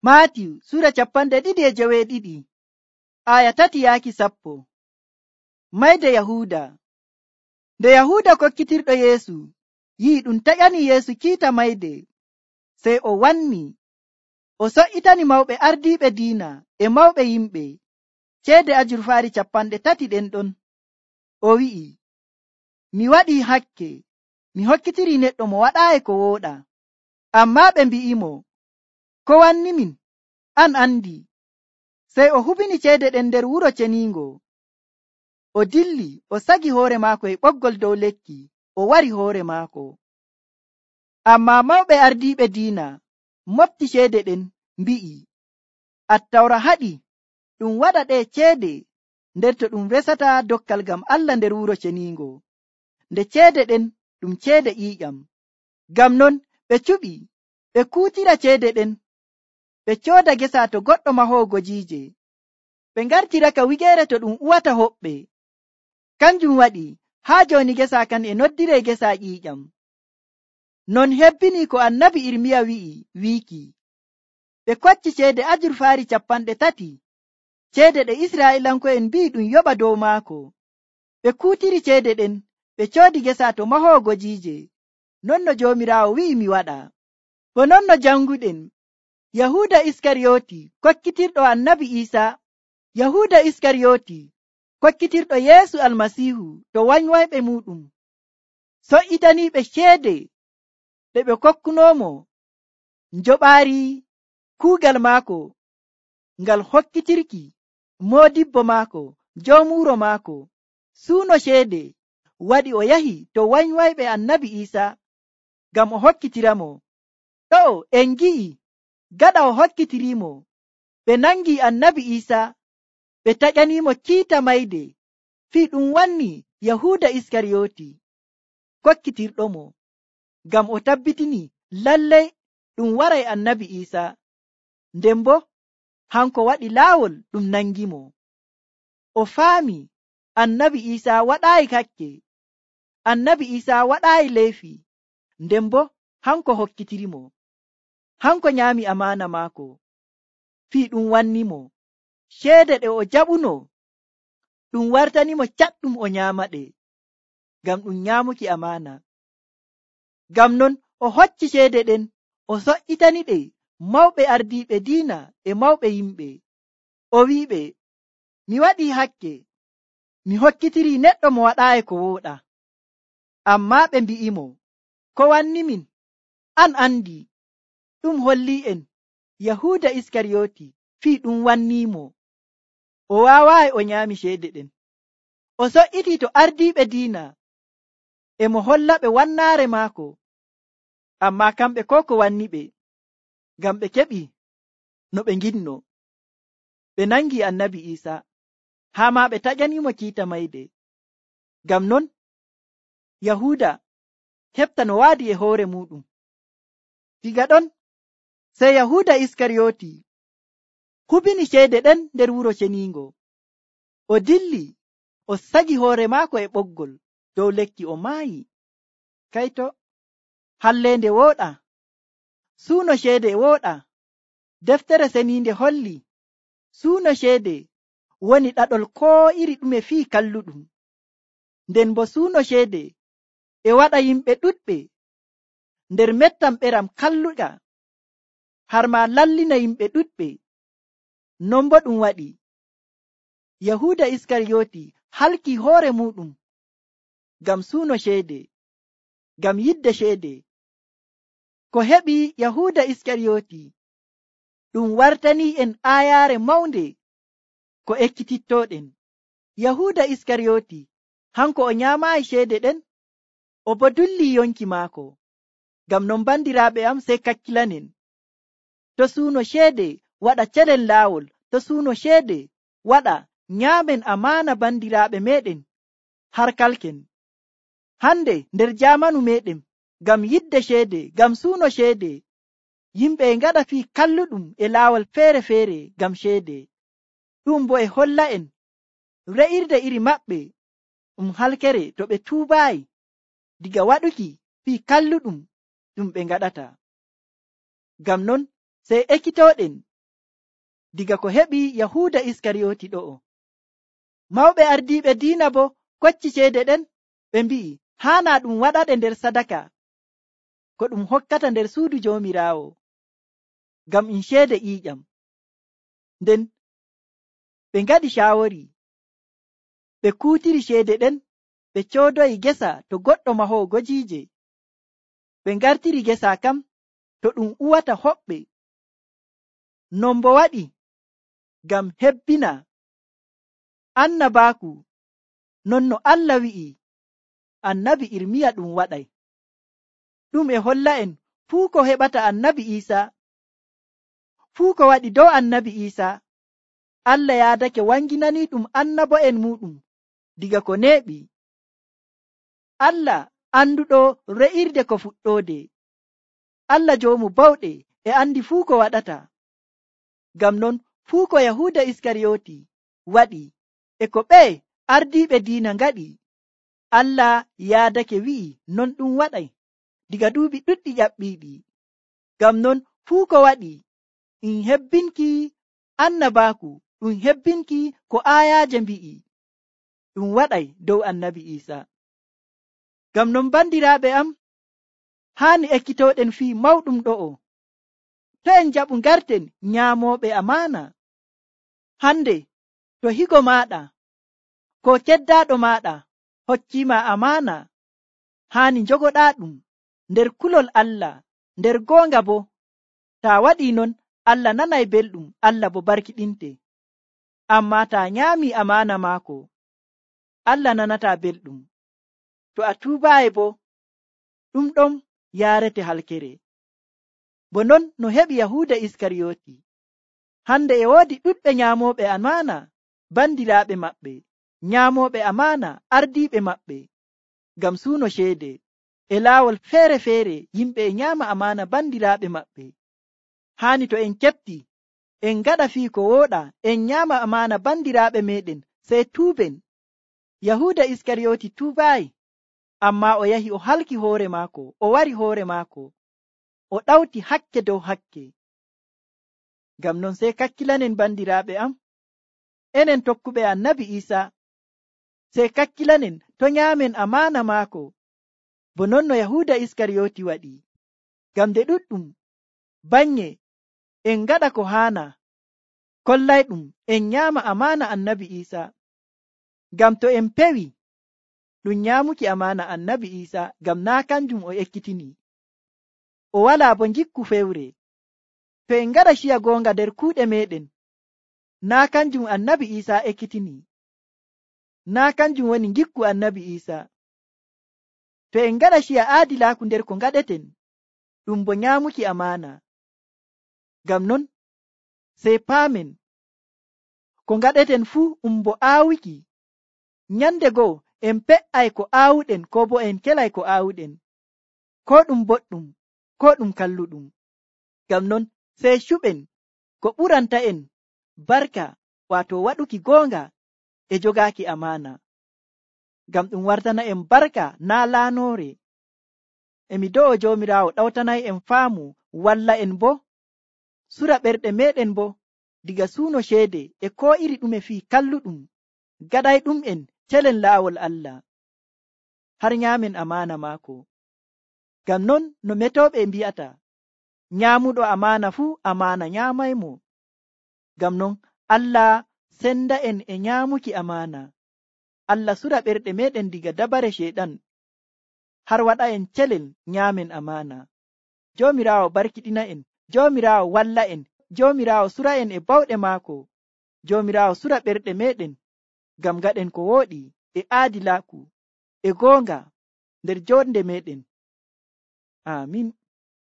Maatiyu sura 2:12 aya 3-10. Mayde Yahuuda. Nde Yahuuda kokkitirɗo Yeesu yi'i ɗum taƴani Yeesu kiita mayde, sey o wanni o so'itani mawɓe ardiiɓe diina e mawɓe yimɓe ceede ajurfaari 30 ɗen ɗon. O wi'i, mi waɗii hakke, mi hokkitirii neɗɗo mo waɗaayi ko wooɗa. Ammaa ɓe mbi'imo, ko wannimin? An andi. Sey o hubini ceede ɗen nder wuro ceniingo. O dilli o sagi hoore maako e ɓoggol dow lekki, o wari hoore maako. Ammaa mawɓe ardiiɓe diina mofti ceede ɗen mbi'i, Attawra haɗi ɗum waɗa ɗe ceede nder to ɗum resata dokkal ngam Allah nder wuro ceniingo, nde ceede ɗen ɗum ceede ƴiiƴam. Ngam non ɓe cuɓi ɓe kuutira ceede ɗen ɓe cooda gesa to goɗɗo mahoowo gojiije. Ɓe ngartiraka wigeere to ɗum uwata hoɓɓe. Kanjum waɗi haa jooni gesa kan e noddiree gesa ƴiiƴam. Non hebbini ko annabi Irmiya wiiki. Ɓe kocci ceede ajurfaari 30, ceede ɗe Israa'iilanko'en mbi'i ɗum yoɓa dow maako. Ɓe kuutiri ceede ɗen ɓe coodi gesa to mahoowo gojiije. Non no Joomiraawo wi'i mi waɗa. Bo non no janguɗen, Yahuuda Iskariyoti kokkitirɗo annabi Iisaa, Yahuuda Iskariyoti kokkitirɗo Yeesu Almasiihu to wanywayɓe muuɗum, so'itaniiɓe ceede ɗe ɓe kokkunoomo njoɓaari kuugal maako ngal hokkitirki moodibbo maako, joomu wuro maako. Suuno ceede waɗi o yahi to wanywayɓe annabi Iisaa ngam o hokkitiramo. Ɗo'o en gi'i gaɗa o hokkitiriimo, ɓe nangi annabi Iisaa ɓe taƴaniimo kiita mayde fii ɗum wanni Yahuuda Iskariyoti kokkitirɗomo, ngam o tabbitini lallay ɗum waray annabi Iisaa, nden bo hanko waɗi laawol ɗum nangimo. O faami annabi Iisaa waɗaayi hakke, annabi Iisaa waɗaayi leyfi, nden bo hanko hokkitirimo. Hanko nyaami amaana maako fii ɗum wannimo ceede ɗe o jaɓuno ɗum wartanimo caɗɗum o nyaamaɗe, ngam ɗum nyaamuki amaana. Ngam non o hocci ceede ɗen o so'itaniɗe mawɓe ardiiɓe diina e mawɓe yimɓe. O wi'iɓe, mi waɗii hakke, mi hokkitirii neɗɗo mo waɗaayi ko wooɗa. Ammaa ɓe mbi'imo, ko wannimin? An andi. Ɗum holli'en Yahuuda Iskariyoti fii ɗum wanniimo. O waawaayi o nyaami ceede ɗen. O so'itii to ardiiɓe diina e mo hollaɓe wannaare maako. Ammaa kamɓe ko wanniɓe, ngam ɓe keɓi no ɓe nginno. Ɓe nangi annabi Iisaa, haa ma ɓe taƴaniimo kiita mayde. Ngam non Yahuuda heɓta no waadi e hoore muuɗum. Diga ɗon sey Yahuuda Iskariyoti hubini ceede ɗen nder wuro ceniingo. O dilli o sagi hoore maako e ɓoggol dow lekki, o maayi. Kayto, halleende wooɗa, suuno ceede wooɗa. Deftere seniinde holli suuno ceede woni ɗaɗol koo iri ɗume fii kalluɗum. Nden bo suuno ceede e waɗa yimɓe ɗuɗɓe nder mettam ɓeram kalluɗa, har ma lallina yimɓe ɗuɗɓe. Non bo ɗum waɗi Yahuuda Iskariyoti halki hoore muuɗum ngam suuno ceede, ngam yidde ceede. Ko heɓi Yahuuda Iskariyoti ɗum wartanii en aayaare mawnde ko ekkitittooɗen. Yahuuda Iskariyoti hanko o nyaamaayi ceede ɗen, o bo dulli yonki maako. Ngam non bandiraaɓe am, sey kakkilanen. To suuno ceede waɗa celen laawol, to suuno ceede waɗa nyaamen amaana bandiraaɓe meɗen har kalken. Hande nder jaamanu meɗen, ngam yidde ceede, ngam suuno ceede, yimɓe e ngaɗa fii kalluɗum e laawol feere-feere ngam ceede. Ɗum bo e holla en re'irde iri maɓɓe ɗum halkere to ɓe tuubaayi diga waɗuki fii kalluɗum ɗum ɓe ngaɗata. Ngam non sey ekkitooɗen diga ko heɓi Yahuuda Iskariyoti ɗo'o. Mawɓe ardiiɓe diina bo kocci ceede ɗen, ɓe mbi'i haana ɗum waɗaɗe nder sadaka ko ɗum hokkata nder suudu Joomiraawo, ngam ɗum ceede ƴiiƴam. Nden ɓe ngaɗi caawori, ɓe kuutiri ceede ɗen, ɓe coodoyi gesa to goɗɗo mahoowo gojiije. Ɓe ngartiri gesa kam to ɗum uwata hoɓɓe. Non bo waɗi ngam hebbina annabaaku, non no Allah wi'i annabi Irmiya ɗum waɗay. Ɗum e holla en fuu ko heɓata annabi Iisaa, fuu ko waɗi dow annabi Iisaa, Allah yaadake wanginanii ɗum annabo'en muuɗum diga ko neeɓi. Allah anduɗo re'irde ko fuɗɗoode, Allah joomu bawɗe e andi fuu ko waɗata. Ngam non fuu ko Yahuuda Iskariyoti waɗi e ko ɓe ardiiɓe diina ngaɗi, Allah yaadake wi'i non ɗum waɗay diga duuɓi ɗuɗɗi ƴaɓɓiiɗi. Ngam non fuu ko waɗi ɗum hebbinki annabaaku, ɗum hebbinki ko aayaaje mbi'i ɗum waɗay dow annabi Iisaa. Ngam non bandiraaɓe am, haani ekkitooɗen fii mawɗum ɗo'o. To en jaɓu ngarten nyaamooɓe amaana. Hande to higo maaɗa ko keddaaɗo maaɗa hokkiima amaana, haani njogoɗaa ɗum nder kulol Allah, nder goonga bo. Taa waɗii non, Allah nanay belɗum, Allah bo barkiɗinte. Ammaa taa nyaamii amaana maako, Allah nanataa belɗum. To a tuubaayi bo, ɗum ɗon yaarete halkere. Bo non no heɓi Yahuuda Iskariyoti. Hande e woodi ɗuɗɓe nyaamooɓe amaana bandiraaɓe maɓɓe, nyaamooɓe amaana ardiiɓe maɓɓe, ngam suuno ceede. E laawol feere-feere yimɓe e nyaama amaana bandiraaɓe maɓɓe. Haani to en keɓti, en ngaɗa fii ko wooɗa, en nyaama amaana bandiraaɓe meɗen, sey tuuben. Yahuuda Iskariyoti tuubaayi, ammaa o yahi o halki hoore maako, o wari hoore maako, o ɗawti hakke dow hakke. Ngam non sey kakkilanen bandiraaɓe am, enen tokkuɓe annabi Iisaa, sey kakkilanen to nyaamen amaana maako, bo non no Yahuuda Iskariyoti waɗi. Ngam nde ɗuɗɗum banye en ngaɗa ko haana, kollayɗum en nyaama amaana annabi Iisaa. Ngam to en pewi ɗum nyaamuki amaana annabi Iisaa, ngam naa kanjum o ekkitini, o walaa bo njikku fewre. To en ngaɗa ciya goonga nder kuuɗe meɗen, naa kanjum annabi Iisaa ekkitini, naa kanjum woni njikku annabi Iisaa. To en ngaɗa ciya aadilaaku nder ko ngaɗeten, ɗum bo nyaamuki amaana. Ngam non sey paamen ko ngaɗeten fuu bo aawuki. Nyande goo en pe'ay ko aawuɗen, ko bo en kelay ko aawuɗen, ko ɗum boɗɗum, ko ɗum kalluɗum. Ngam non sey cuɓen ko ɓuranta en barka, waato waɗuki goonga e jogaaki amaana. Ngam ɗum wartana en barka naa laanoore. Emi do'o Joomiraawo ɗawtanay en faamu, walla en bo sura ɓerɗe meɗen bo diga suuno ceede e ko iri ɗume fii kalluɗum, gaɗay ɗum en celen laawol Allah, har nyaamen amaana maako. Ngam non no metooɓe mbi'ata, nyaamuɗo amaana fuu amaana nyaamaymo. Ngam non Allah senda en e nyaamuki amaana. Allah sura ɓerɗe meɗen diga dabare ceeɗan, har waɗa en celen nyaamen amaana. Joomiraawo barkiɗina en, Joomiraawo walla en, Joomiraawo sura en e bawɗe maako, Joomiraawo sura ɓerɗe meɗen, ngam gaɗen ko wooɗi e aadilaaku e goonga nder jonde meɗen. Amin.